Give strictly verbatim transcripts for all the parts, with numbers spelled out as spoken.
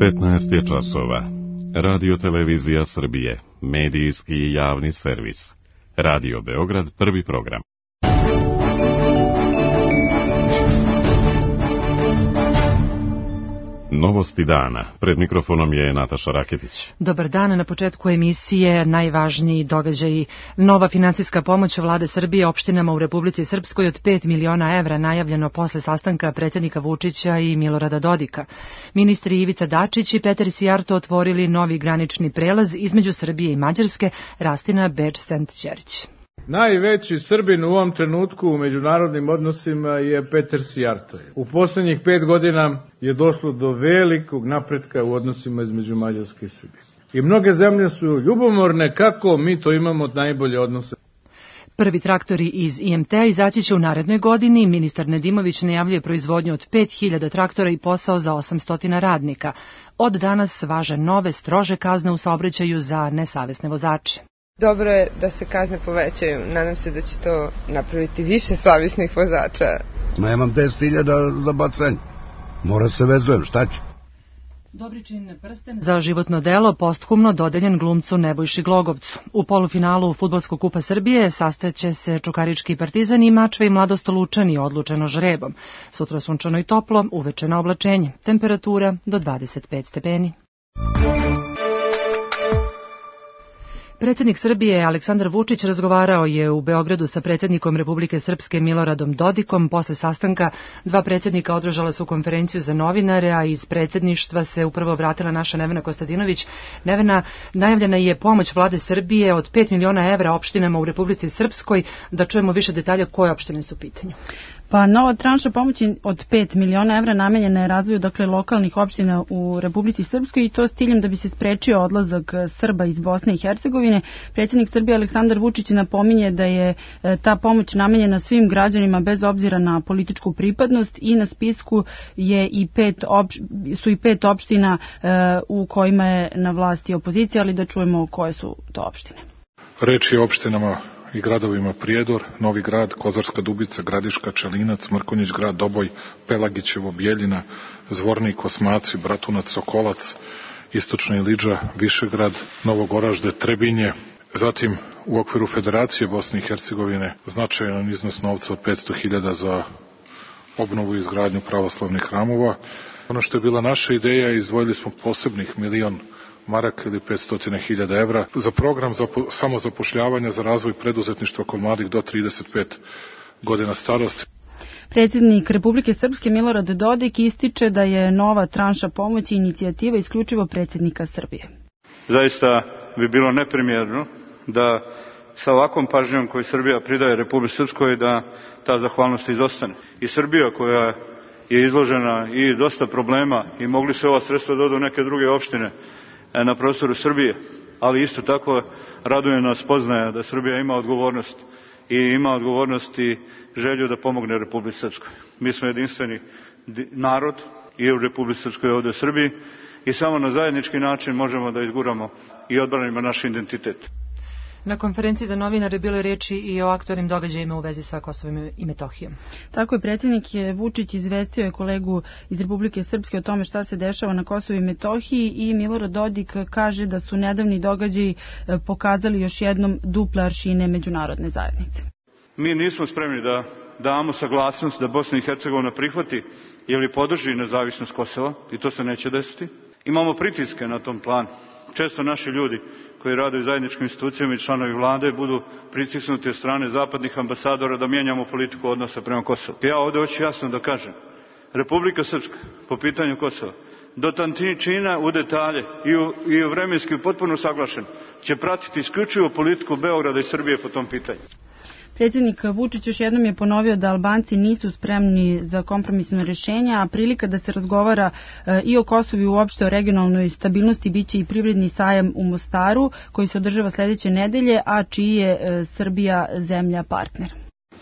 petnaest je časova. Radio Televizija Srbije, medijski i javni servis. Radio Beograd, prvi program. Novosti dana. Pred mikrofonom je Nataša Raketić. Dobar dan. Na početku emisije najvažniji događaji. Nova finansijska pomoć vlade Srbije opštinama u Republici Srpskoj od pet miliona evra najavljeno posle sastanka predsjednika Vučića i Milorada Dodika. Ministri Ivica Dačić i Petar Sijarto otvorili novi granični prelaz između Srbije i Mađarske, Rastina Beč-Sent Ćerić. Najveći Srbin u ovom trenutku u međunarodnim odnosima je Petar Sijarto. U poslednjih pet godina je došlo do velikog napretka u odnosima između Mađarske i Srbije. I mnoge zemlje su ljubomorne kako mi to imamo najbolje odnose. Prvi traktori iz I M T-a izaći će u narednoj godini. Ministar Nedimović najavljuje proizvodnju od pet hiljada traktora i posao za osamsto radnika. Od danas važe nove, strože kazne u saobraćaju za nesavesne vozače. Dobro je da se kazne povećaju. Nadam se da će to napraviti više savjesnih vozača. Ma imam deset hiljada za bacanje. Mora se vezujem, šta će? Dobričin prsten za životno delo posthumno dodeljen glumcu Nebojši Glogovcu. U polufinalu Fudbalskog kupa Srbije sastaće se Čukarički Partizan i Mačva i Mladost Lučani odlučeno žrebom. Sutra sunčano i toplo, uveče na oblačenje. Temperatura do dvadeset pet stepeni. Predsjednik Srbije Aleksandar Vučić razgovarao je u Beogradu sa predsjednikom Republike Srpske Miloradom Dodikom. Posle sastanka dva predsjednika održala su konferenciju za novinare, a iz predsjedništva se upravo vratila naša Nevena Kostadinović. Nevena, najavljena je pomoć vlade Srbije od pet miliona evra opštinama u Republici Srpskoj. Da čujemo više detalja koje opštine su u pitanju. Pa nova tranša pomoći od pet miliona evra namenjena je razvoju dakle lokalnih opština u Republici Srpskoj i to s ciljem da bi se sprečio odlazak Srba iz Bosne i Hercegovine. Predsjednik Srbije Aleksandar Vučić napominje da je ta pomoć namenjena svim građanima bez obzira na političku pripadnost i na spisku je i pet opš, su i pet opština u kojima je na vlasti opozicija, ali da čujemo koje su to opštine. Reč je o opštinama i gradovima Prijedor, Novi Grad, Kozarska Dubica, Gradiška, Čelinac, Mrkonjić Grad, Doboj, Pelagićevo, Bijeljina, Zvornik, Osmaci, Bratunac, Sokolac, Istočna Ilidža, Višegrad, Novogoražde, Trebinje. Zatim u okviru Federacije Bosne i Hercegovine značajan iznos novca od petsto hiljada za obnovu i izgradnju pravoslavnih hramova. Ono što je bila naša ideja, izdvojili smo posebnih milion maraka ili petsto hiljada evra za program za samozapošljavanja za razvoj preduzetništva kod mladih do trideset pet godina starosti. Predsjednik Republike Srpske Milorad Dodik ističe da je nova tranša pomoći inicijativa isključivo predsjednika Srbije. Zaista bi bilo neprimjerno da sa ovakvom pažnjom koju Srbija pridaje Republici Srpskoj da ta zahvalnost izostane. I Srbija koja je izložena i dosta problema i mogli se ova sredstva da odu neke druge opštine na prostoru Srbije, ali isto tako raduje nas spoznaja da Srbija ima odgovornost i ima odgovornost i želju da pomogne Republici Srpskoj. Mi smo jedinstveni narod i u Republici Srpskoj ovdje u Srbiji i samo na zajednički način možemo da izguramo i odbranimo naš identitet. Na konferenciji za novinare bilo je reči i o aktualnim događajima u vezi sa Kosovom i Metohijom. Tako je, predsjednik Vučić izvestio je kolegu iz Republike Srpske o tome šta se dešava na Kosovu i Metohiji i Milorad Dodik kaže da su nedavni događaji pokazali još jednom duple aršine međunarodne zajednice. Mi nismo spremni da damo saglasnost da Bosna i Hercegovina prihvati ili podrži nezavisnost Kosova i to se neće desiti. Imamo pritiske na tom planu. Često naši ljudi koji rade u zajedničkim institucijama i članovi vlade budu pritisnuti od strane zapadnih ambasadora da mijenjamo politiku odnosa prema Kosovu. Ja ovdje hoću jasno da kažem, Republika Srpska po pitanju Kosova do tančina u detalje i u, i u vremenski potpuno saglašen će pratiti isključivo politiku Beograda i Srbije po tom pitanju. Predsjednik Vučić još jednom je ponovio da Albanci nisu spremni za kompromisno rješenje, a prilika da se razgovara e, i o Kosovu i uopšte o regionalnoj stabilnosti biće i privredni sajam u Mostaru koji se održava sljedeće nedelje, a čiji je e, Srbija zemlja partner.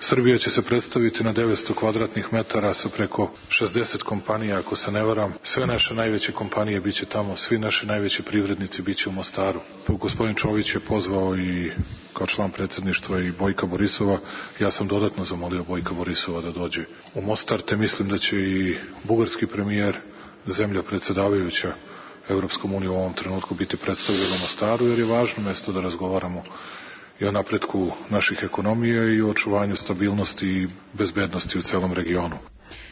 Srbija će se predstaviti na devetsto kvadratnih metara sa preko šezdeset kompanija, ako se ne varam. Sve naše najveće kompanije biće tamo, svi naši najveći privrednici biće u Mostaru. Gospodin Čović je pozvao i kao član predsjedništva i Bojka Borisova. Ja sam dodatno zamolio Bojka Borisova da dođe u Mostar, te mislim da će i bugarski premijer, zemlja predsjedavajuća Evropskom unijom u ovom trenutku biti predstavljeno u Mostaru, jer je važno mesto da razgovaramo i o napretku naših ekonomija i o očuvanju stabilnosti i bezbednosti u celom regionu.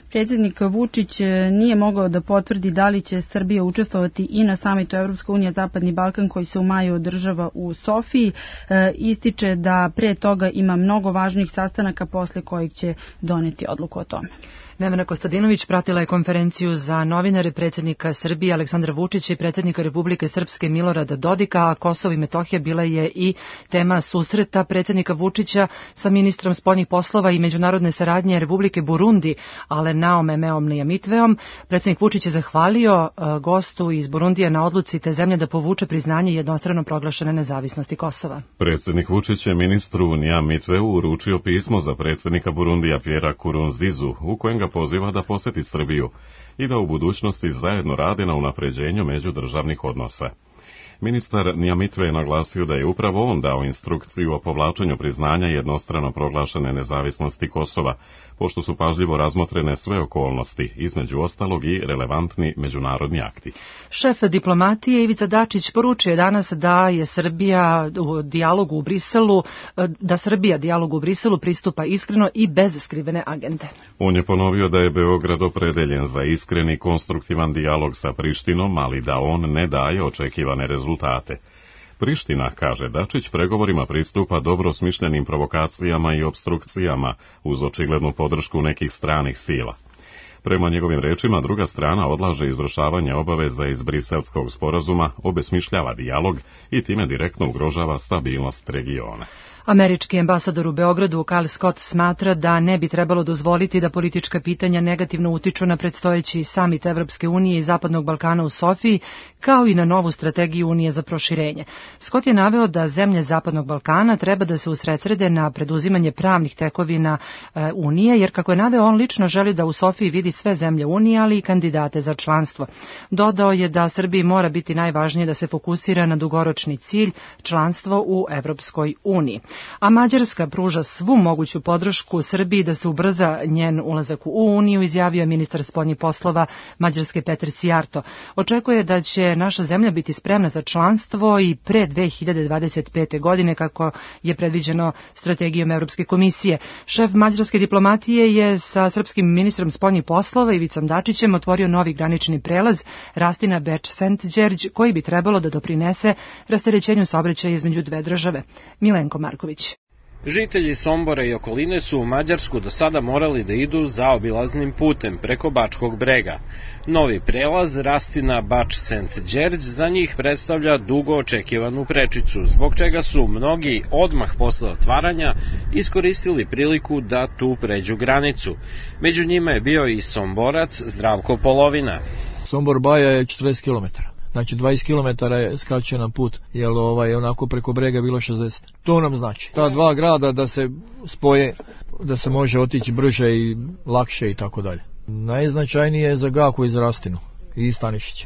Predsjednik Vučić nije mogao da potvrdi da li će Srbija učestvovati i na samitu Evropska unija Zapadni Balkan koji se u maju održava u Sofiji. E, ističe da pre toga ima mnogo važnih sastanaka posle kojih će doneti odluku o tome. Nevena Kostadinović pratila je konferenciju za novinare predsjednika Srbije Aleksandra Vučića i predsjednika Republike Srpske Milorada Dodika, a Kosovo i Metohija bila je i tema susreta predsjednika Vučića sa ministrom spoljnih poslova i međunarodne saradnje Republike Burundi, Alenaom Emeom Nijamitveom. Predsjednik Vučić je zahvalio gostu iz Burundija na odluci te zemlje da povuče priznanje jednostrano proglašene nezavisnosti Kosova. Predsjednik Vučić je ministru Nijamitveu uručio pismo za predsjednika Burundija Pjera Kurunzizu, u kojem ga poziva da poseti Srbiju i da u budućnosti zajedno rade na unapređenju međudržavnih odnosa. Ministar Nijamitve je naglasio da je upravo on dao instrukciju o povlačenju priznanja jednostrano proglašene nezavisnosti Kosova, pošto su pažljivo razmotrene sve okolnosti, između ostalog i relevantni međunarodni akti. Šef diplomatije Ivica Dačić poručio je danas da je Srbija u dijalogu u Briselu, da Srbija dijalogu u Briselu pristupa iskreno i bez skrivene agende. On je ponovio da je Beograd opredeljen za iskren i konstruktivan dijalog sa Prištinom, ali da on ne daje očekivane rezultate. Priština, kaže Dačić, pregovorima pristupa dobro smišljenim provokacijama i obstrukcijama uz očiglednu podršku nekih stranih sila. Prema njegovim rečima, druga strana odlaže izvršavanje obaveza iz Briselskog sporazuma, obesmišljava dijalog i time direktno ugrožava stabilnost regiona. Američki ambasador u Beogradu Kyle Scott smatra da ne bi trebalo dozvoliti da politička pitanja negativno utiču na predstojeći samit Evropske unije i Zapadnog Balkana u Sofiji, kao i na novu strategiju Unije za proširenje. Scott je naveo da zemlje Zapadnog Balkana treba da se usredsrede na preduzimanje pravnih tekovina e, Unije, jer kako je naveo, on lično želi da u Sofiji vidi sve zemlje Unije, ali i kandidate za članstvo. Dodao je da Srbiji mora biti najvažnije da se fokusira na dugoročni cilj, članstvo u Evropskoj uniji. A Mađarska pruža svu moguću podršku Srbiji da se ubrza njen ulazak u Uniju, izjavio je ministar spoljnih poslova Mađarske Peter Sijarto. Očekuje da će naša zemlja biti spremna za članstvo i pre dve hiljade dvadeset pete. godine, kako je predviđeno strategijom Evropske komisije. Šef mađarske diplomatije je sa srpskim ministrom spoljnih poslova Ivicom Dačićem otvorio novi granični prelaz Rastina Beč-Sent Đerđ, koji bi trebalo da doprinese rasterećenju saobraćaja između dve države. Milenko Marković. Žitelji Sombora i okoline su u Mađarsku do sada morali da idu zaobilaznim putem preko Bačkog brega. Novi prelaz Rastina Bač-Sent Đerđ za njih predstavlja dugo očekivanu prečicu, zbog čega su mnogi odmah posle otvaranja iskoristili priliku da tu pređu granicu. Među njima je bio i Somborac Zdravko Polovina. Sombor Baja je četrdeset kilometara. Znači dvadeset kilometara je skraćen put, jer ovaj, onako preko brega bilo šezdeset. To nam znači. Ta dva grada da se spoje, da se može otići brže i lakše i tako dalje. Najznačajnije je za Gaku iz Rastinu i Stanišić,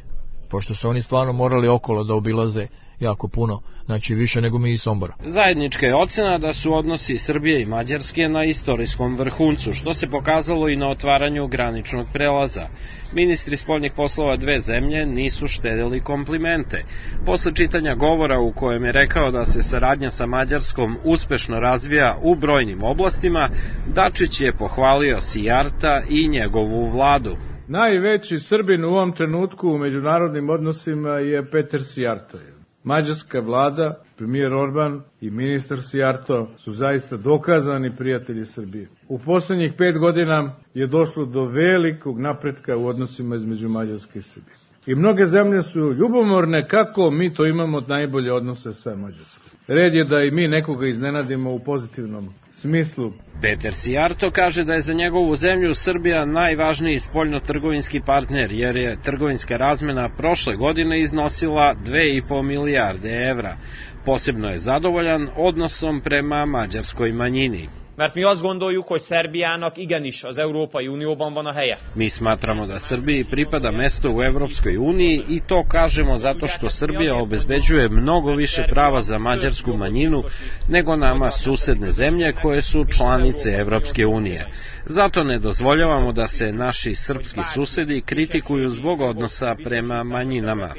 pošto su oni stvarno morali okolo da obilaze jako puno, znači više nego mi iz Sombora. Zajednička je ocena da su odnosi Srbije i Mađarske na istorijskom vrhuncu, što se pokazalo i na otvaranju graničnog prelaza. Ministri spoljnih poslova dve zemlje nisu štedili komplimente. Posle čitanja govora u kojem je rekao da se saradnja sa Mađarskom uspešno razvija u brojnim oblastima, Dačić je pohvalio Sijarta i njegovu vladu. Najveći Srbin u ovom trenutku u međunarodnim odnosima je Peter Sijarto. Mađarska vlada, premijer Orban i ministar Sijarto su zaista dokazani prijatelji Srbije. U poslednjih pet godina je došlo do velikog napretka u odnosima između Mađarske i Srbije. I mnoge zemlje su ljubomorne kako mi to imamo najbolje odnose sa Mađarskom. Red je da i mi nekoga iznenadimo u pozitivnom smislu. Peter Sijarto kaže da je za njegovu zemlju Srbija najvažniji spoljno-trgovinski partner, jer je trgovinska razmena prošle godine iznosila dve i po milijarde evra. Posebno je zadovoljan odnosom prema mađarskoj manjini. mert mi azt gondoljuk, hogy Szerbiának igenis az Európai Unióban van a helye. Mi smatramo da Srbiji pripada mesto u Evropskoj uniji i to kažemo zato što Srbija obezbeđuje mnogo više prava za mađarsku manjinu nego nama susedne zemlje koje su članice Evropske unije. Zato ne dozvoljavamo da se naši srpski susedi kritikuju zbog odnosa prema manjinama.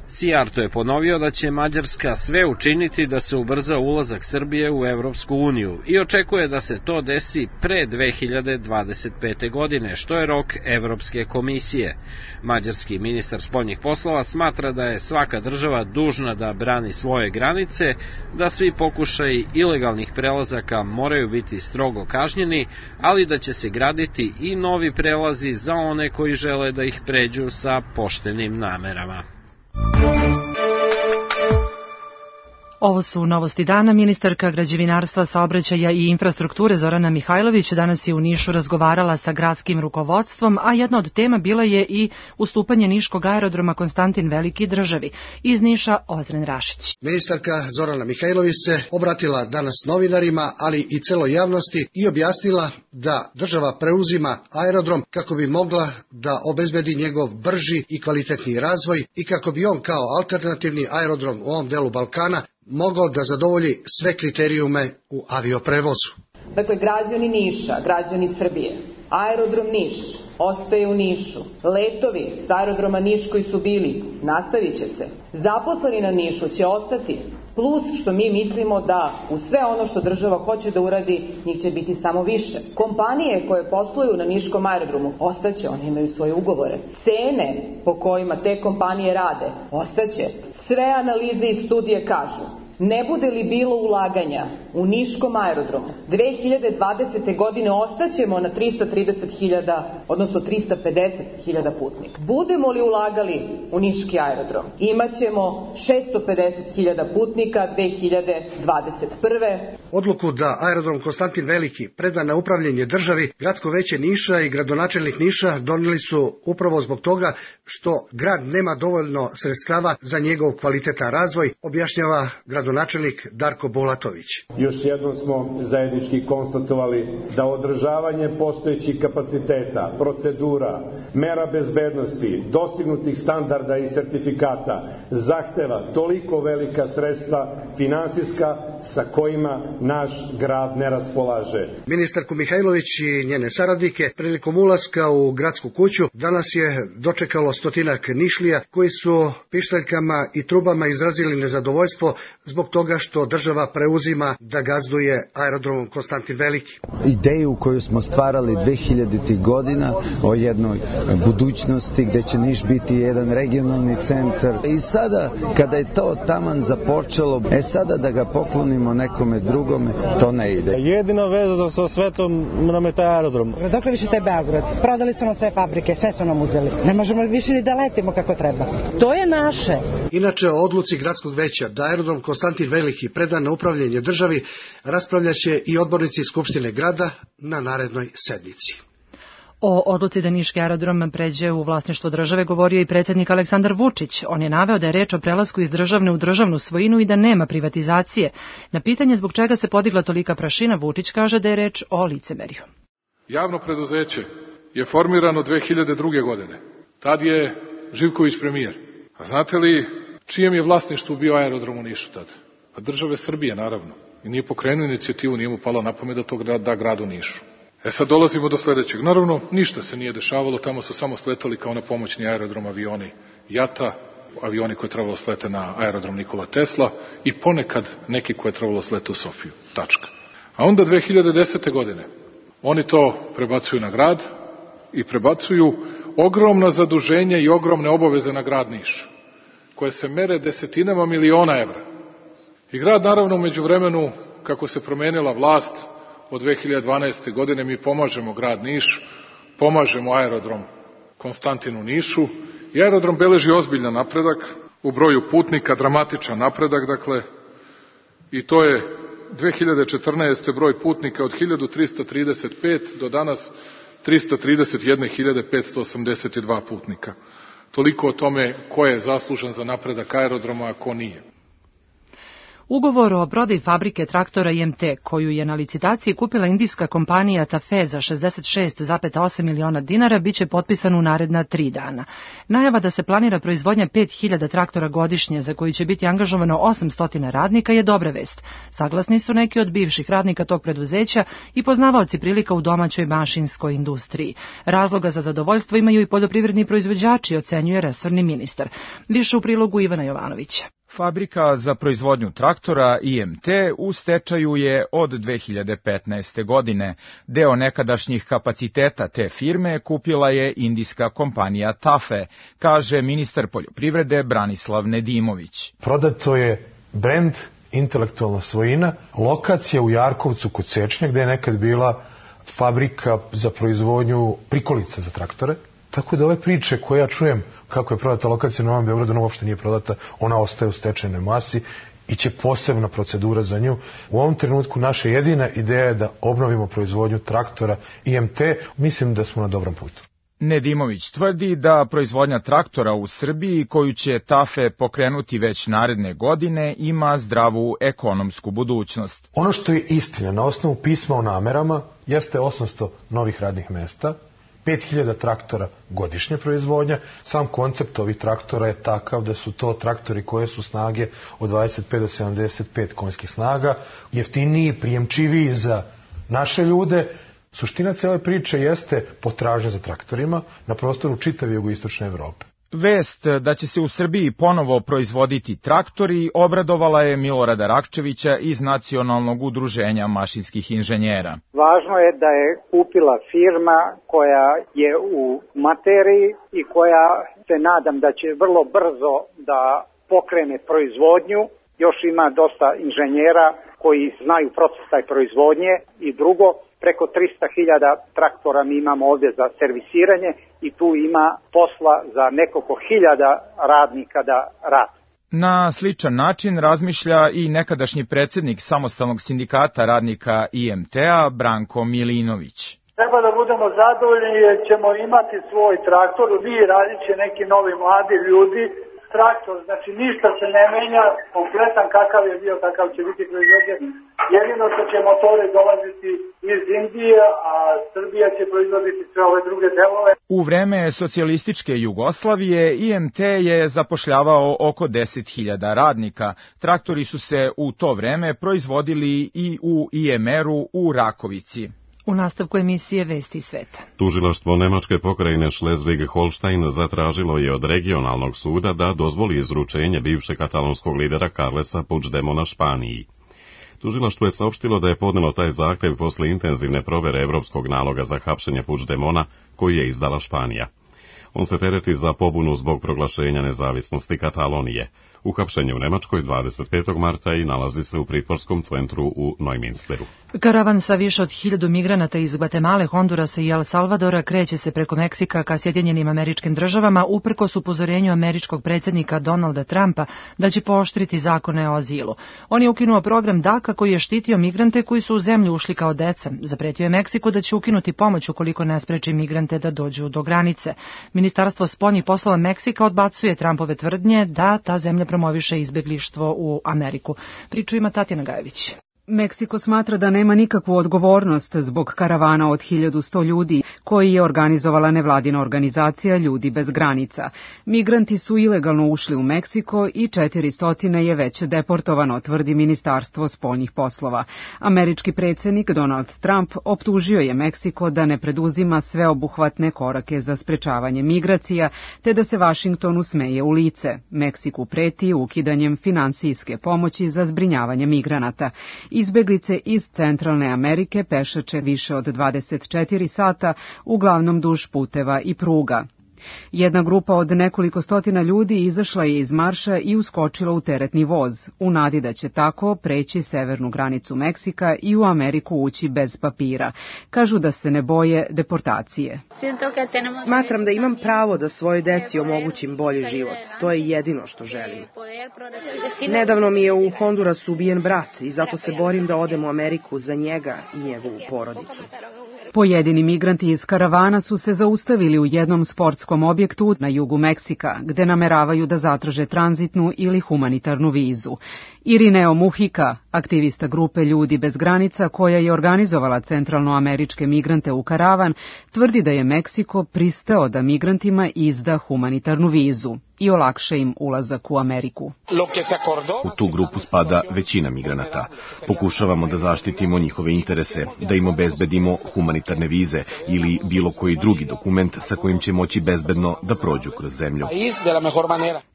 Sijarto je ponovio da će Mađarska sve učiniti da se ubrza ulazak Srbije u Evropsku uniju i očekuje da se to desi pre dve hiljade dvadeset pete. godine, što je rok Evropske komisije. Mađarski ministar spoljnih poslova smatra da je svaka država dužna da brani svoje granice, da svi pokušaji ilegalnih prelazaka moraju biti strogo kažnjeni, ali da će se graditi i novi prelazi za one koji žele da ih pređu sa poštenim namerama. Ovo su novosti dana. Ministarka građevinarstva, saobraćaja i infrastrukture Zorana Mihajlović danas je u Nišu razgovarala sa gradskim rukovodstvom, a jedna od tema bila je i ustupanje niškog aerodroma Konstantin Veliki državi. Iz Niša Ozren Rašić. Ministarka Zorana Mihajlović se obratila danas novinarima, ali i celoj javnosti i objasnila da država preuzima aerodrom kako bi mogla da obezbedi njegov brži i kvalitetniji razvoj i kako bi on kao alternativni aerodrom u ovom delu Balkana mogao da zadovolji sve kriterijume u avioprevozu. Dakle, građani Niša, građani Srbije, aerodrom Niš ostaje u Nišu. Letovi s aerodroma Niš koji su bili, nastavit će se. Zaposleni na Nišu će ostati, plus što mi mislimo da u sve ono što država hoće da uradi, njih će biti samo više. Kompanije koje posluju na Niškom aerodromu ostaće, one imaju svoje ugovore. Cene po kojima te kompanije rade ostaće. Sve analize i studije kažu, ne bude li bilo ulaganja u Niškom aerodromu, dve hiljade dvadesete. godine ostaćemo na trista trideset hiljada, odnosno trista pedeset hiljada putnika. Budemo li ulagali u Niški aerodrom, imaćemo šesto pedeset hiljada putnika dve hiljade dvadeset prve. Odluku da aerodrom Konstantin Veliki preda na upravljanje državi, gradsko veće Niša i gradonačelnik Niša donijeli su upravo zbog toga što grad nema dovoljno sredstava za njegov kvalitetan razvoj, objašnjava gradonačelnik Darko Bolatović. Još jednom smo zajednički konstatovali da održavanje postojećih kapaciteta, procedura, mera bezbednosti, dostignutih standarda i sertifikata zahteva toliko velika sredstva finansijska sa kojima naš grad ne raspolaže. Ministarku Mihajlović i njene saradnike prilikom ulaska u gradsku kuću danas je dočekalo stotinak Nišlija koji su pištaljkama i trubama izrazili nezadovoljstvo zbog toga što država preuzima da gazduje aerodromom Konstantin Veliki. Ideju koju smo stvarali dve hiljaditih. godina o jednoj budućnosti gde će Niš biti jedan regionalni centar. I sada kada je to taman započelo, e sada da ga poklonimo nekome drugome, to ne ide. Jedina veza sa svetom nam je taj aerodrom. Dokle više taj Beograd? Prodali su nam sve fabrike, sve su nam uzeli. Ne možemo više ni da letimo kako treba. To je naše. Inače, o odluci gradskog veća da aerodrom Konstantin Veliki predan na upravljanje državi raspravljaće i odbornici Skupštine grada na narednoj sednici. O odluci da Niški aerodrom pređe u vlasništvo države govorio i predsjednik Aleksandar Vučić. On je naveo da je reč o prelasku iz državne u državnu svojinu i da nema privatizacije. Na pitanje zbog čega se podigla tolika prašina, Vučić kaže da je reč o licemerju. Javno preduzeće je formirano dve hiljade druge. godine. Tad je Živković premijer. A znate li čijem je vlasništvu bio aerodrom u Nišu tad? Pa države Srbije, naravno. I nije pokrenuo inicijativu, nije mu palo na pamet da to da gradu Nišu. E sad dolazimo do sledećeg. Naravno, ništa se nije dešavalo, tamo su samo sletali kao na pomoćni aerodrom avioni Jata, avioni koje je trebalo slete na aerodrom Nikola Tesla i ponekad neki koje je trebalo slete u Sofiju. Tačka. A onda dve hiljade desete. godine oni to prebacuju na grad i prebacuju ogromna zaduženja i ogromne obaveze na grad Niš, koje se mere desetinama miliona evra. I grad, naravno, umeđu vremenu, kako se promenila vlast, od dve hiljade dvanaeste. godine mi pomažemo grad Niš, pomažemo aerodrom Konstantinu Nišu i aerodrom beleži ozbiljan napredak u broju putnika, dramatičan napredak, dakle, i to je dve hiljade četrnaeste. broj putnika od hiljadu trista trideset pet do danas trista trideset jedna hiljada petsto osamdeset dva putnika. Toliko o tome ko je zaslužan za napredak aerodroma, a ko nije. Ugovor o prodaji fabrike traktora I M T, koju je na licitaciji kupila indijska kompanija Tafe za šezdeset šest zarez osam miliona dinara, biće potpisan u naredna tri dana. Najava da se planira proizvodnja pet hiljada traktora godišnje, za koji će biti angažovano osamsto radnika, je dobra vest. Saglasni su neki od bivših radnika tog preduzeća i poznavaoci prilika u domaćoj mašinskoj industriji. Razloga za zadovoljstvo imaju i poljoprivredni proizvođači, ocenjuje resorni ministar. Više u prilogu Ivana Jovanovića. Fabrika za proizvodnju traktora I M T u stečaju je od dve hiljade petnaeste. godine. Deo nekadašnjih kapaciteta te firme kupila je indijska kompanija Tafe, kaže ministar poljoprivrede Branislav Nedimović. Prodato je brend, intelektualna svojina, lokacija u Jarkovcu kod Sečnja, gde je nekad bila fabrika za proizvodnju prikolica za traktore. Tako da ove priče koje ja čujem kako je prodata lokacija u Novom Beogradu, ona uopšte nije prodata, ona ostaje u stečajnoj masi i će posebna procedura za nju. U ovom trenutku naša jedina ideja je da obnovimo proizvodnju traktora I M T, mislim da smo na dobrom putu. Nedimović tvrdi da proizvodnja traktora u Srbiji, koju će Tafe pokrenuti već naredne godine, ima zdravu ekonomsku budućnost. Ono što je istina na osnovu pisma o namerama jeste osamsto novih radnih mesta, pet hiljada traktora godišnje proizvodnja. Sam koncept ovih traktora je takav da su to traktori koje su snage od dvadeset pet do sedamdeset pet konjskih snaga, jeftiniji, prijemčiviji za naše ljude. Suština cele priče jeste potražnja za traktorima na prostoru čitave jugoistočne Evrope. Vest da će se u Srbiji ponovo proizvoditi traktori obradovala je Milorada Rakčevića iz Nacionalnog udruženja mašinskih inženjera. Važno je da je kupila firma koja je u materiji i koja se nadam da će vrlo brzo da pokrene proizvodnju. Još ima dosta inženjera koji znaju proces taj proizvodnje i drugo, preko trista hiljada traktora mi imamo ovdje za servisiranje i tu ima posla za nekoliko hiljada radnika da rade. Na sličan način razmišlja i nekadašnji predsjednik Samostalnog sindikata radnika I M T-a Branko Milinović. Treba da budemo zadovoljni jer ćemo imati svoj traktor, vi radit će neki novi mladi ljudi. Traktor, znači ništa se ne menja, kompletan kakav je bio, takav će biti proizvođen. Jedino što će motori dolaziti iz Indije, a Srbija će proizvoditi sve ove druge delove. U vreme socijalističke Jugoslavije I M T je zapošljavao oko deset hiljada radnika. Traktori su se u to vreme proizvodili i u I M R-u u Rakovici. U nastavku emisije Vesti sveta. Tužilaštvo Nemačke pokrajine Schleswig-Holstein zatražilo je od regionalnog suda da dozvoli izručenje bivšeg katalonskog lidera Carlesa Puigdemona Španiji. Tužilaštvo je saopštilo da je podnelo taj zahtev posle intenzivne provere evropskog naloga za hapšenje Puigdemona koji je izdala Španija. On se tereti za pobunu zbog proglašenja nezavisnosti Katalonije. Uhapšen u Nemačkoj dvadeset petog marta i nalazi se u pritvorskom centru u Neuminsteru. Karavan sa više od hiljadu migranata iz Gvatemale, Hondurasa i El Salvadora kreće se preko Meksika ka Sjedinjenim Američkim Državama uprkos upozorenju američkog predsjednika Donalda Trumpa da će pooštriti zakone o azilu. On je ukinuo program DACA koji je štitio migrante koji su u zemlju ušli kao deca. Zapretio je Meksiku da će ukinuti pomoć ukoliko ne spreči migrante da dođu do granice. Ministarstvo spoljnih poslova Meksika odbacuje Trumpove tvrdnje da ta zemlja promoviše izbjeglištvo u Ameriku. Priču ima Tatjana Gajević. Meksiko smatra da nema nikakvu odgovornost zbog karavana od hiljadu sto ljudi koji je organizovala nevladina organizacija Ljudi bez granica. Migranti su ilegalno ušli u Meksiko i četiristo je već deportovano, tvrdi Ministarstvo spoljnih poslova. Američki predsjednik Donald Trump optužio je Meksiko da ne preduzima sveobuhvatne korake za sprečavanje migracija, te da se Vašingtonu smeje u lice. Meksiku preti ukidanjem finansijske pomoći za zbrinjavanje migranata. Izbeglice iz Centralne Amerike pešače više od dvadeset četiri sata, uglavnom duž puteva i pruga. Jedna grupa od nekoliko stotina ljudi izašla je iz marša i uskočila u teretni voz, u nadi da će tako preći severnu granicu Meksika i u Ameriku ući bez papira. Kažu da se ne boje deportacije. Smatram da imam pravo da svojoj deci omogućim bolji život. To je jedino što želim. Nedavno mi je u Hondurasu ubijen brat i zato se borim da odem u Ameriku za njega i njegovu porodicu. Pojedini migranti iz karavana su se zaustavili u jednom sportskom objektu na jugu Meksika, gde nameravaju da zatraže tranzitnu ili humanitarnu vizu. Irineo Muhika, aktivista grupe Ljudi bez granica koja je organizovala centralnoameričke migrante u karavan, tvrdi da je Meksiko pristao da migrantima izda humanitarnu vizu i olakša im ulazak u Ameriku. U tu grupu spada većina migranata. Pokušavamo da zaštitimo njihove interese, da im obezbedimo humanitarne vize ili bilo koji drugi dokument sa kojim će moći bezbedno da prođu kroz zemlju.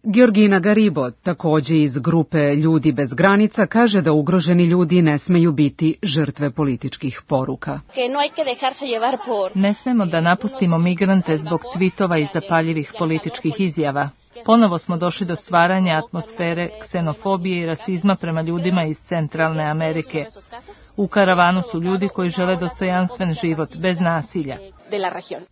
Georgina Garibo, takođe iz grupe Ljudi bez granica, kaže da ugroženi ljudi ne smeju biti žrtve političkih poruka. Ne smemo da napustimo migrante zbog tvitova i zapaljivih političkih izjava. Ponovo smo došli do stvaranja atmosfere ksenofobije i rasizma prema ljudima iz Centralne Amerike. U karavanu su ljudi koji žele dostojanstven život, bez nasilja.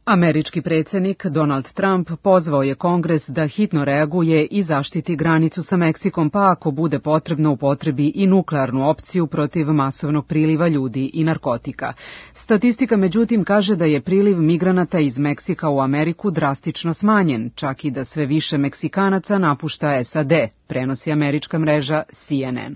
Američki predsjednik Donald Trump pozvao je Kongres da hitno reaguje i zaštiti granicu sa Meksikom, pa ako bude potrebno upotrebi i nuklearnu opciju protiv masovnog priliva ljudi i narkotika. Statistika međutim kaže da je priliv migranata iz Meksika u Ameriku drastično smanjen, čak i da sve više Meksikanaca napušta S A D, prenosi američka mreža C N N.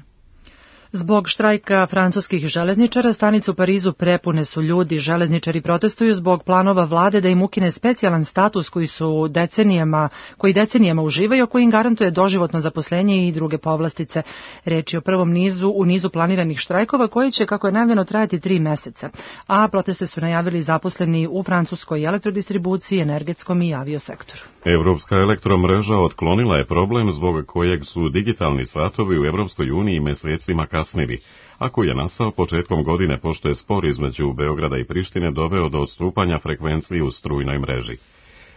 Zbog štrajka francuskih železničara, stanice u Parizu prepune su ljudi. Železničari protestuju zbog planova vlade da im ukine specijalan status koji su decenijama, koji decenijama uživaju, koji im garantuje doživotno zaposlenje i druge povlastice. Reč je o prvom nizu u nizu planiranih štrajkova koji će, kako je najavljeno, trajati tri meseca. A proteste su najavili zaposleni u francuskoj elektrodistribuciji, energetskom i aviosektoru. Evropska elektromreža otklonila je problem zbog kojeg su digitalni satovi u Evropskoj uniji mesecima kasnili, a koji je nastao početkom godine pošto je spor između Beograda i Prištine doveo do odstupanja frekvenciji u strujnoj mreži.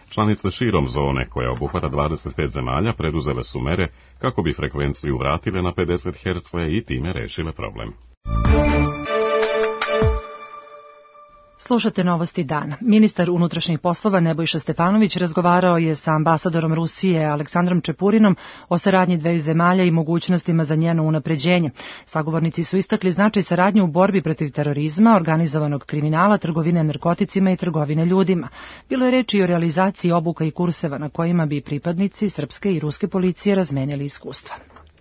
Članice širom zone, koja obuhvata dvadeset pet zemalja, preduzele su mere kako bi frekvenciju vratile na pedeset herca i time rešile problem. Slušate novosti dana. Ministar unutrašnjih poslova Nebojša Stefanović razgovarao je sa ambasadorom Rusije Aleksandrom Čepurinom o saradnji dveju zemalja i mogućnostima za njeno unapređenje. Sagovornici su istakli značaj saradnje u borbi protiv terorizma, organizovanog kriminala, trgovine narkoticima i trgovine ljudima. Bilo je reči i o realizaciji obuka i kurseva na kojima bi pripadnici srpske i ruske policije razmenjali iskustva.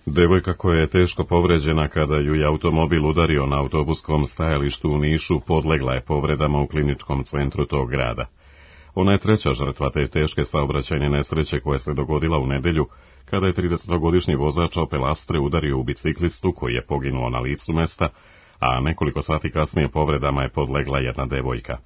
Devojka koja je teško povređena kada ju je automobil udario na autobuskom stajalištu u Nišu podlegla je povredama u kliničkom centru tog grada. Ona je treća žrtva te teške saobraćajne nesreće koja se dogodila u nedelju kada je tridesetogodišnji vozač Opel Astre udario u biciklistu koji je poginuo na licu mesta, a nekoliko sati kasnije povredama je podlegla jedna devojka.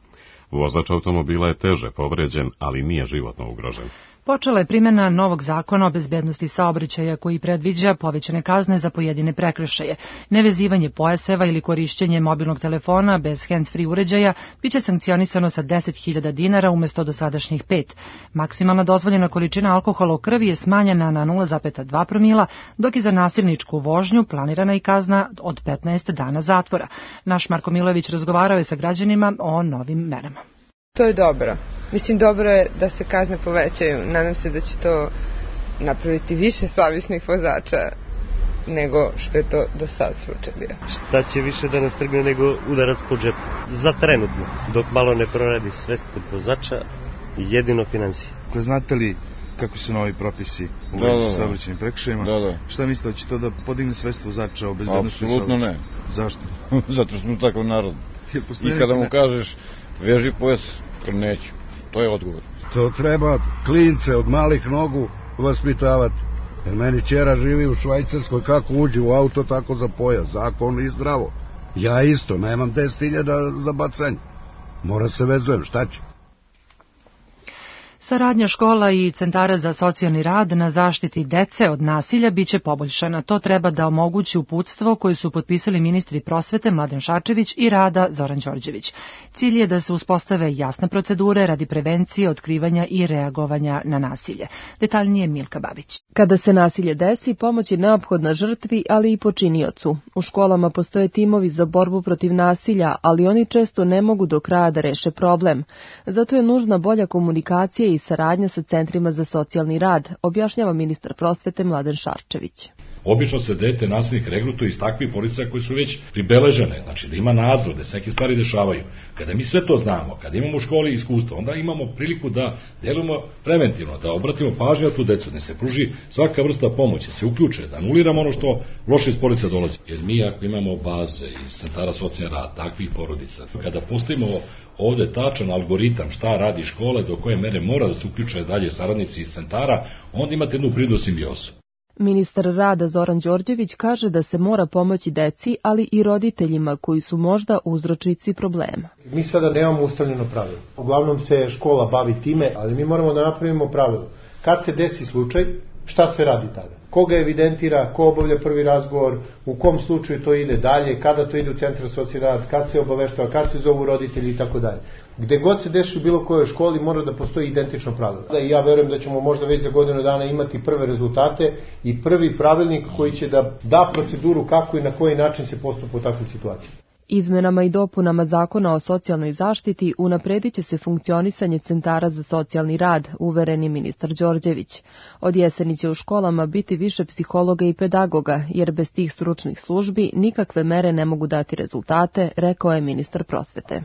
Vozač automobila je teže povređen, ali nije životno ugrožen. Počela je primjena novog zakona o bezbednosti saobraćaja koji predviđa povećane kazne za pojedine prekršaje. Nevezivanje pojaseva ili korišćenje mobilnog telefona bez hands-free uređaja biće sankcionisano sa deset hiljada dinara umjesto dosadašnjih pet. Maksimalna dozvoljena količina alkohola u krvi je smanjena na nula zarez dva promila, dok je za nasilničku vožnju planirana i kazna od petnaest dana zatvora. Naš Marko Milojević razgovarao je sa građanima o novim merama. To je dobro. Mislim, dobro je da se kazne povećaju. Nadam se da će to napraviti više savjesnih vozača nego što je to do sad slučaj bio. Šta će više da nas trgne nego udarac po džepu? Za trenutno, dok malo ne proradi svest kod vozača, jedino financije. Znate li kako su novi propisi u vezi sa saobraćajnim prekršajima? Da, da. Šta mislite, da će to da podigne svest vozača o bezbednosti? Apsolutno ne. Zašto? Zato što smo takav narod. I kada mu kažeš veži pojas, neću. To je odgovor. To treba klince od malih nogu vaspitavati. Jer meni ćera živi u Švajcarskoj, kako uđi u auto, tako za pojas. Zakon i zdravo. Ja isto, nemam deset hiljada za bacanje. Mora se vezujem, šta će? Saradnja škola i centara za socijalni rad na zaštiti dece od nasilja biće poboljšana. To treba da omogući uputstvo koje su potpisali ministri prosvete Mladen Šarčević i rada Zoran Đorđević. Cilj je da se uspostave jasne procedure radi prevencije, otkrivanja i reagovanja na nasilje. Detaljnije Milka Babić. Kada se nasilje desi, pomoć je neophodna žrtvi, ali i počiniocu. U školama postoje timovi za borbu protiv nasilja, ali oni često ne mogu do kraja da reše problem. Zato je nužna bolja komunikacija i saradnja sa centrima za socijalni rad, objašnjava ministar prosvete Mladen Šarčević. Obično se dete nasilnik regrutuje iz takvih porodica koji su već pribeležene, znači da ima nadzor, da se neke stvari dešavaju. Kada mi sve to znamo, kada imamo u školi iskustva, onda imamo priliku da delujemo preventivno, da obratimo pažnju na tu decu, da se pruži svaka vrsta pomoći, se uključe, da anuliramo ono što loše iz porodica dolazi. Jer mi ako imamo baze iz centara socijalni rad, takvih porodica, kada postavimo ovde tačan algoritam šta radi škola, do koje mere mora da se uključuje dalje saradnici iz centara, onda imate jednu prirodnu simbiozu. Ministar rada Zoran Đorđević kaže da se mora pomoći deci, ali i roditeljima koji su možda uzročnici problema. Mi sada nemamo ustaljeno pravilo. Uglavnom se škola bavi time, ali mi moramo da napravimo pravilo. Kad se desi slučaj, šta se radi tada? Koga evidentira, ko obavlja prvi razgovor, u kom slučaju to ide dalje, kada to ide u centar socijalni rad, kad se obaveštava, kad se zovu roditelji i tako dalje. Gde god se deši u bilo kojoj školi mora da postoji identično pravilo. I ja verujem da ćemo možda već za godinu dana imati prve rezultate i prvi pravilnik koji će da da proceduru kako i na koji način se postupa u takvoj situaciji. Izmenama i dopunama Zakona o socijalnoj zaštiti unapredit će se funkcionisanje centara za socijalni rad, uveren je ministar Đorđević. Od jeseni će u školama biti više psihologa i pedagoga, jer bez tih stručnih službi nikakve mere ne mogu dati rezultate, rekao je ministar prosvete.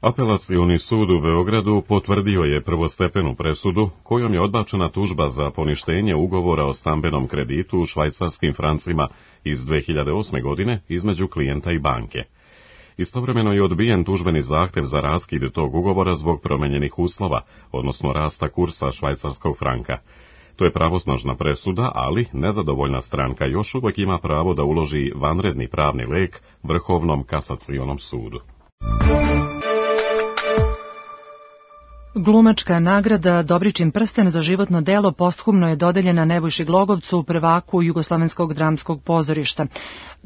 Apelacioni sud u Beogradu potvrdio je prvostepenu presudu kojom je odbačena tužba za poništenje ugovora o stambenom kreditu u švajcarskim francima iz dve hiljade osme. godine između klijenta i banke. Istovremeno je odbijen tužbeni zahtev za raskid tog ugovora zbog promenjenih uslova, odnosno rasta kursa švajcarskog franka. To je pravosnažna presuda, ali nezadovoljna stranka još uvijek ima pravo da uloži vanredni pravni lek Vrhovnom kasacionom sudu. Glumačka nagrada Dobričin prsten za životno delo posthumno je dodeljena Nebojši Glogovcu, prvaku Jugoslovenskog dramskog pozorišta.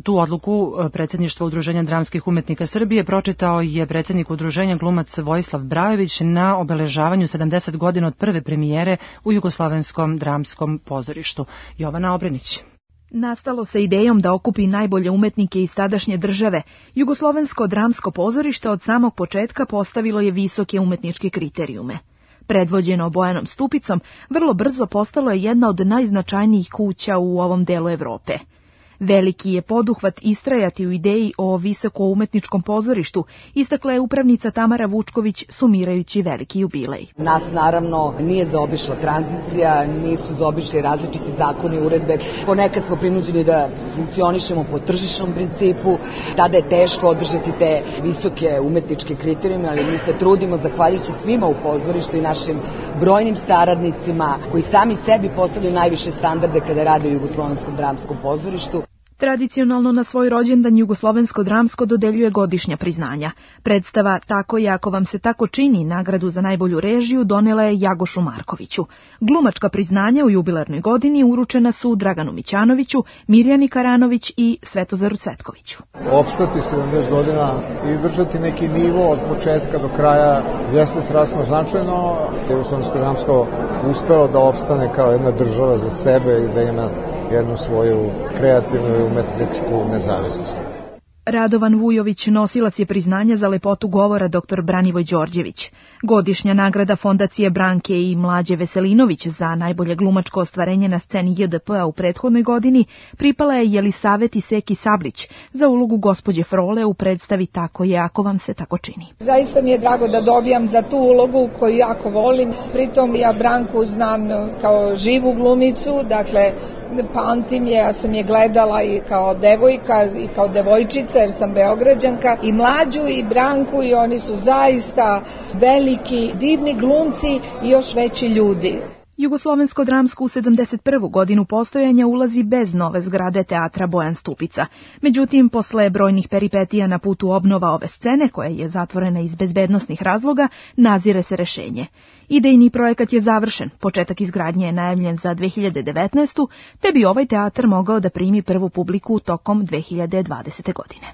Tu odluku predsjedništva Udruženja dramskih umetnika Srbije pročitao je predsjednik udruženja glumac Vojislav Brajović na obeležavanju sedamdeset godina od prve premijere u Jugoslovenskom dramskom pozorištu. Jovana Obrenić. Nastalo sa idejom da okupi najbolje umetnike iz tadašnje države, Jugoslovensko dramsko pozorište od samog početka postavilo je visoke umetničke kriterijume. Predvođeno Bojanom Stupicom, vrlo brzo postalo je jedna od najznačajnijih kuća u ovom delu Evrope. Veliki je poduhvat istrajati u ideji o visokoumetničkom pozorištu, istakla je upravnica Tamara Vučković sumirajući veliki jubilej. Nas naravno nije zaobišla tranzicija, nisu zaobišli različiti zakoni i uredbe. Ponekad smo prinuđeni da funkcionišemo po tržišnom principu, tada je teško održati te visoke umetničke kriterijume, ali mi se trudimo zahvaljujući svima u pozorištu i našim brojnim saradnicima koji sami sebi postavljaju najviše standarde kada rade u Jugoslovenskom dramskom pozorištu. Tradicionalno na svoj rođendan Jugoslovensko dramsko dodeljuje godišnja priznanja. Predstava Tako je ako vam se tako čini nagradu za najbolju režiju donela je Jagošu Markoviću. Glumačka priznanja u jubilarnoj godini uručena su Draganu Mićanoviću, Mirjani Karanović i Svetozaru Cvetkoviću. Opstati sedamdeset godina i držati neki nivo od početka do kraja jeste strašno značajno. Jugoslovensko dramsko uspeo da opstane kao jedna država za sebe i da ima jednu svoju kreativnu i umetničku nezavisnost. Radovan Vujović nosilac je priznanja za lepotu govora dr Branivoj Đorđević. Godišnja nagrada Fondacije Branke i Mlađe Veselinović za najbolje glumačko ostvarenje na sceni J D P-a u prethodnoj godini pripala je Jelisaveti Seki Sablić za ulogu gospođe Frole u predstavi Tako je ako vam se tako čini. Zaista mi je drago da dobijam za tu ulogu koju jako volim. Pritom ja Branku znam kao živu glumicu, dakle pamtim je, ja sam je gledala i kao devojka i kao devojčica jer sam Beograđanka, i Mlađu i Branku, i oni su zaista veliki, divni glumci i još veći ljudi. Jugoslovensko dramsko u sedamdeset prvu godinu postojanja ulazi bez nove zgrade teatra Bojan Stupica. Međutim, posle brojnih peripetija na putu obnova ove scene, koja je zatvorena iz bezbednosnih razloga, nazire se rešenje. Idejni projekat je završen, početak izgradnje je najavljen za dve hiljade devetnaestu. te bi ovaj teatar mogao da primi prvu publiku tokom dve hiljade dvadesete. godine.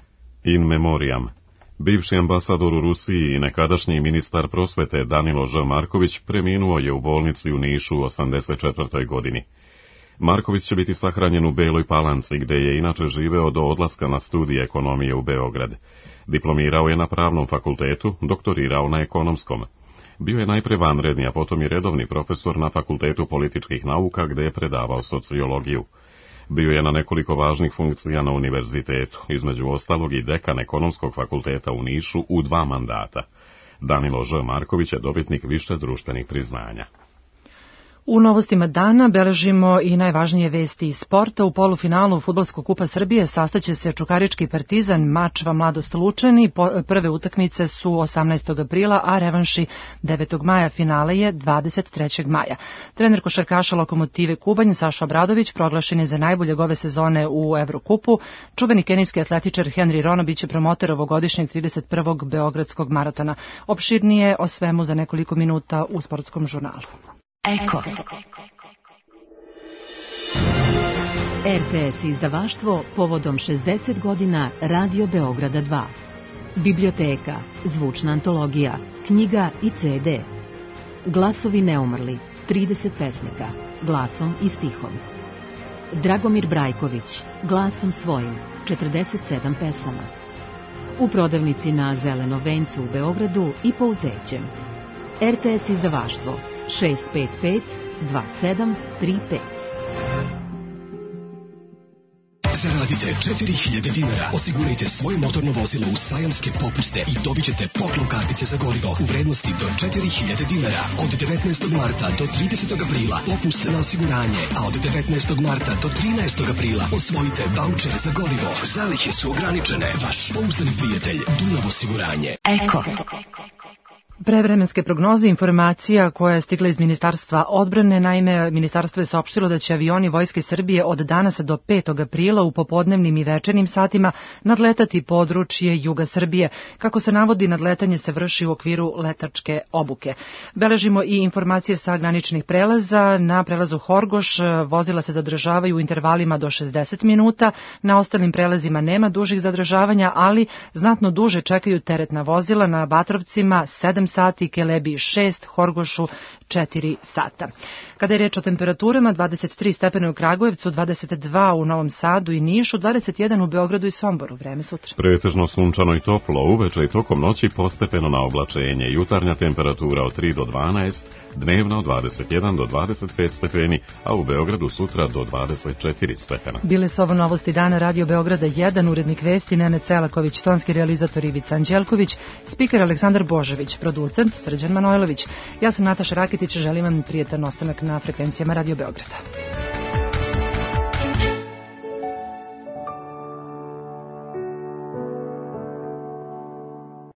In memoriam. Bivši ambasador u Rusiji i nekadašnji ministar prosvete Danilo Ž. Marković preminuo je u bolnici u Nišu u osamdeset četvrtoj. godini. Marković će biti sahranjen u Beloj Palanci, gde je inače živeo do odlaska na studije ekonomije u Beograd. Diplomirao je na pravnom fakultetu, doktorirao na ekonomskom. Bio je najpre vanredni, a potom i redovni profesor na Fakultetu političkih nauka, gde je predavao sociologiju. Bio je na nekoliko važnih funkcija na univerzitetu, između ostalog i dekan Ekonomskog fakulteta u Nišu u dva mandata. Danilo Ž. Marković je dobitnik više društvenih priznanja. U novostima dana beležimo i najvažnije vesti iz sporta. U polufinalu Fudbalskog kupa Srbije sastaće se Čukarički Partizan, Mačva Mladost Lučani. Prve utakmice su osamnaestog aprila, a revanši devetog maja. Finale je dvadeset trećeg maja. Trener košarkaša Lokomotive Kubanj, Saša Obradović, proglašen je za najboljeg ove sezone u Evrokupu. Čuveni kenijski atletičar Henry Ronobić je promoter ovogodišnjeg trideset prvog Beogradskog maratona. Opširnije o svemu za nekoliko minuta u sportskom žurnalu. Eko. R T S izdavaštvo povodom šezdeset godina Radio Beograda dva. Biblioteka, zvučna antologija, knjiga i ce de. Glasovi neumrli, trideset pesnika, glasom i stihom. Dragomir Brajković, glasom svojim, četrdeset sedam pesama. U prodavnici na Zelenom vencu u Beogradu i Pouzećem. R T S izdavaštvo šest pet pet dva sedam tri pet. Zaradite četiri hiljade dinara. Osigurajte svoje motorno vozilo u sajamske popuste i dobit ćete poklon kartice za gorivo u vrednosti do četiri hiljade dinara. Od devetnaestog marta do tridesetog aprila popust na osiguranje, a od devetnaestog marta do trinaestog aprila osvojite vaučer za gorivo. Zalihe su ograničene. Vaš pouzdani prijatelj Dunav osiguranje. Eko. Prevremenske prognoze, informacija koja je stigla iz Ministarstva odbrane. Naime, ministarstvo je saopštilo da će avioni Vojske Srbije od danas do petog aprila u popodnevnim i večernjim satima nadletati područje juga Srbije. Kako se navodi, nadletanje se vrši u okviru letačke obuke. Beležimo i informacije sa graničnih prelaza. Na prelazu Horgoš vozila se zadržavaju u intervalima do šezdeset minuta. Na ostalim prelazima nema dužih zadržavanja, ali znatno duže čekaju teretna vozila. Na Batrovcima sedam sati, Kelebi šest, Horgošu četiri sata. Kada je reč o temperaturama, dvadeset tri stepena u Kragujevcu, dvadeset dva u Novom Sadu i Nišu, dvadeset jedan u Beogradu i Somboru. Vreme sutra. Pretežno sunčano i toplo, uveče i tokom noći postepeno na oblačenje. Jutarnja temperatura od tri do dvanaest, dnevna od dvadeset jedan do dvadeset pet stepeni, a u Beogradu sutra do dvadeset četiri stepena. Bile su ovo novosti dana Radio Beograda jedan, urednik vesti Nene Celaković, tonski realizator Ivica Anđelković, spiker Aleksandar Božović, producent Srđan Manojlović. Ja sam Nataša Rakitić, želim vam prijetan ostanak na frekvencijama Radio Beograda.